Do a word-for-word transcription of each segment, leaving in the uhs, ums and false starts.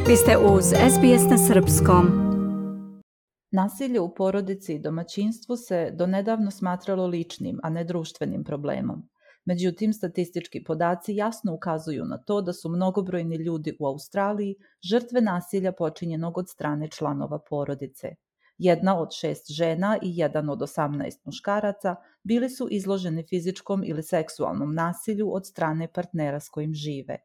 Vi ste uz S B S na srpskom. Nasilje u porodici i domaćinstvu se donedavno smatralo ličnim, a ne društvenim problemom. Međutim, statistički podaci jasno ukazuju na to da su mnogobrojni ljudi u Australiji žrtve nasilja počinjenog od strane članova porodice. Jedna od šest žena i jedan od osamnaest muškaraca bili su izloženi fizičkom ili seksualnom nasilju od strane partnera s kojim žive.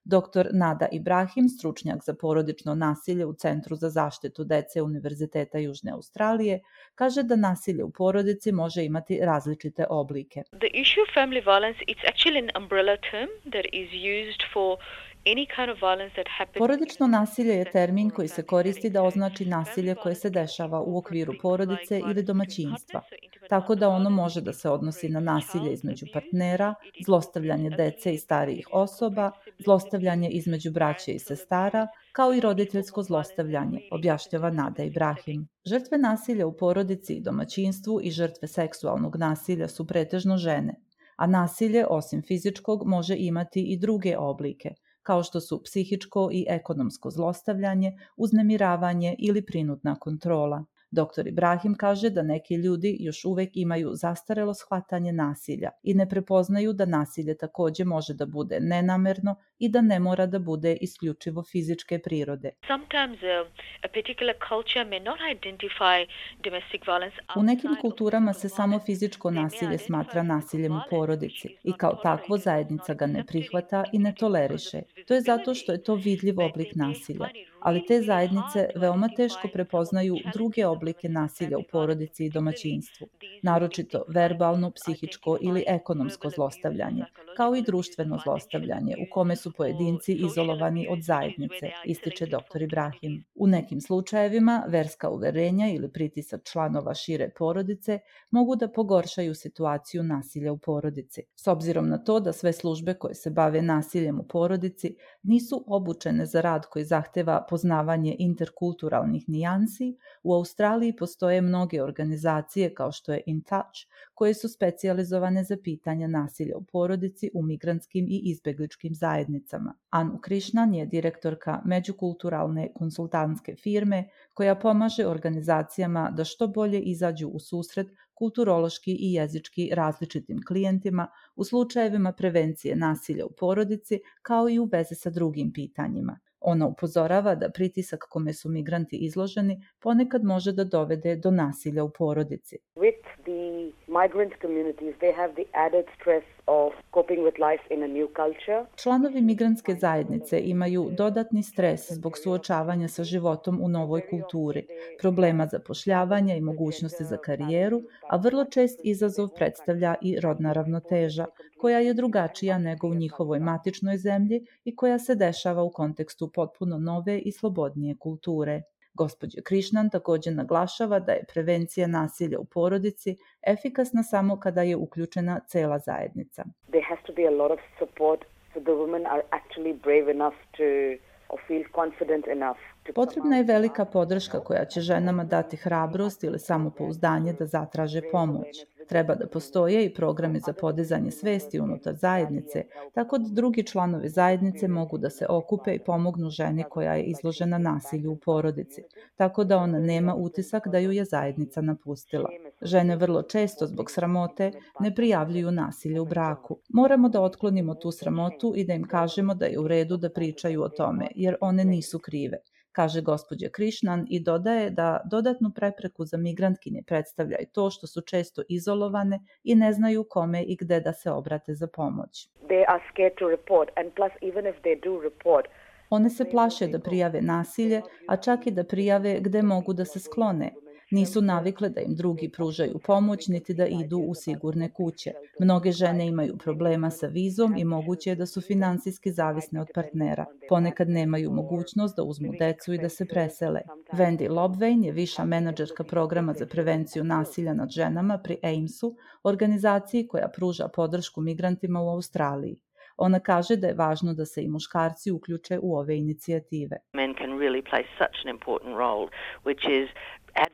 Doktor Nada Ibrahim, stručnjak za porodično nasilje u Centru za zaštitu dece Univerziteta Južne Australije, kaže da nasilje u porodici može imati različite oblike. The issue of family violence, it's actually an umbrella term that is used for any kind of violence that happens. Porodično nasilje je termin koji se koristi da označi nasilje koje se dešava u okviru porodice ili domaćinstva, tako da ono može da se odnosi na nasilje između partnera, zlostavljanje dece i starijih osoba, zlostavljanje između braće i sestara, kao i roditeljsko zlostavljanje, objašnjava Nada Ibrahim. Žrtve nasilja u porodici i domaćinstvu i žrtve seksualnog nasilja su pretežno žene, a nasilje, osim fizičkog, može imati i druge oblike, kao što su psihičko i ekonomsko zlostavljanje, uznemiravanje ili prinudna kontrola. Doktor Ibrahim kaže da neki ljudi još uvek imaju zastarelo shvatanje nasilja i ne prepoznaju da nasilje takođe može da bude nenamerno i da ne mora da bude isključivo fizičke prirode. Sometimes a, a particular culture may not identify domestic violence. U nekim kulturama se samo fizičko nasilje smatra nasiljem u porodici i kao takvo zajednica ga ne prihvata i ne toleriše. To je zato što je to vidljiv oblik nasilja, ali te zajednice veoma teško prepoznaju druge oblike nasilja u porodici i domaćinstvu, naročito verbalno, psihičko ili ekonomsko zlostavljanje, kao i društveno zlostavljanje u kome su pojedinci izolovani od zajednice, ističe doktor Ibrahim. U nekim slučajevima verska uverenja ili pritisak članova šire porodice mogu da pogoršaju situaciju nasilja u porodici. S obzirom na to da sve službe koje se bave nasiljem u porodici nisu obučene za rad koji zahteva poznavanje interkulturalnih nijansi, u Australiji postoje mnoge organizacije kao što je In Touch, koje su specijalizovane za pitanja nasilja u porodici u migrantskim i izbegličkim zajednicama. Anu Krishnan je direktorka međukulturalne konsultantske firme koja pomaže organizacijama da što bolje izađu u susret kulturološki i jezički različitim klijentima u slučajevima prevencije nasilja u porodici, kao i u vezi sa drugim pitanjima. Ona upozorava da pritisak kome su migranti izloženi ponekad može da dovede do nasilja u porodici. With the migrant communities, they have the added stress of coping with life in a new culture. Članovi migrantske zajednice imaju dodatni stres zbog suočavanja sa životom u novoj kulturi, problema zapošljavanja i mogućnosti za karijeru, a vrlo čest izazov predstavlja i rodna ravnoteža, koja je drugačija nego u njihovoj matičnoj zemlji i koja se dešava u kontekstu potpuno nove i slobodnije kulture. Gospođa Krishnan takođe naglašava da je prevencija nasilja u porodici efikasna samo kada je uključena cela zajednica. There has to be a lot of support so the women are actually brave enough to or feel confident enough. Potrebna je velika podrška koja će ženama dati hrabrost ili samopouzdanje da zatraže pomoć. Treba da postoje i programi za podizanje svesti unutar zajednice, tako da drugi članovi zajednice mogu da se okupe i pomognu ženi koja je izložena nasilju u porodici, tako da ona nema utisak da ju je zajednica napustila. Žene vrlo često zbog sramote ne prijavljuju nasilje u braku. Moramo da otklonimo tu sramotu i da im kažemo da je u redu da pričaju o tome, jer one nisu krive, kaže gospođa Krishnan i dodaje da dodatnu prepreku za migrantkinje predstavlja i to što su često izolovane i ne znaju kome i gde da se obrate za pomoć. They are scared to report and plus even if they do report, one se plaše da prijave nasilje, a čak i da prijave gde mogu da se sklone. Nisu navikle da im drugi pružaju pomoć niti da idu u sigurne kuće. Mnoge žene imaju problema sa vizom i moguće je da su finansijski zavisne od partnera. Ponekad nemaju mogućnost da uzmu decu i da se presele. Wendy Lobvein je viša menadžerka programa za prevenciju nasilja nad ženama pri A I M S-u, organizaciji koja pruža podršku migrantima u Australiji. Ona kaže da je važno da se i muškarci uključe u ove inicijative. Men can really play such an important role, which is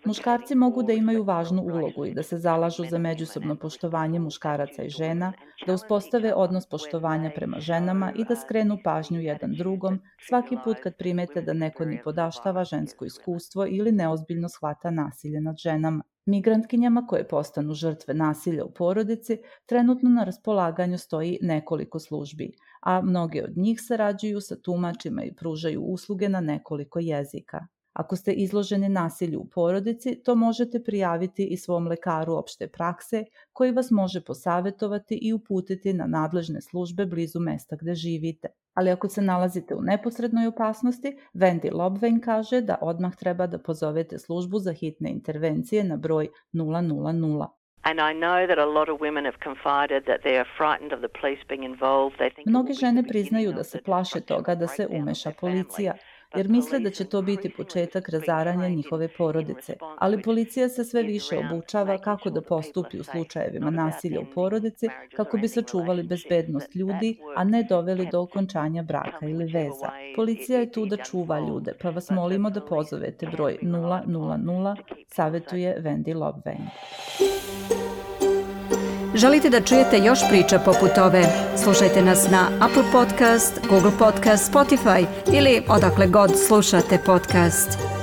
Muškarci mogu da imaju važnu ulogu i da se zalažu za međusobno poštovanje muškaraca i žena, da uspostave odnos poštovanja prema ženama i da skrenu pažnju jedan drugom svaki put kad primete da neko nipodaštava žensko iskustvo ili neozbiljno shvata nasilje nad ženama. Migrantkinjama koje postanu žrtve nasilja u porodici trenutno na raspolaganju stoji nekoliko službi, a mnoge od njih sarađuju sa tumačima i pružaju usluge na nekoliko jezika. Ako ste izloženi nasilju u porodici, to možete prijaviti i svom lekaru opšte prakse, koji vas može posavetovati i uputiti na nadležne službe blizu mesta gde živite. Ali ako se nalazite u neposrednoj opasnosti, Wendy Lobvein kaže da odmah treba da pozovete službu za hitne intervencije na broj nula nula nula. Mnoge žene priznaju da se plaše toga da se umeša policija, jer misle da će to biti početak razaranja njihove porodice, ali policija se sve više obučava kako da postupi u slučajevima nasilja u porodici kako bi sačuvali bezbednost ljudi, a ne doveli do okončanja braka ili veza. Policija je tu da čuva ljude, pa vas molimo da pozovete broj nula nula nula, savetuje Wendy Lobvein. Želite da čujete još priča poput ove? Slušajte nas na Apple Podcast, Google Podcast, Spotify ili odakle god slušate podcast.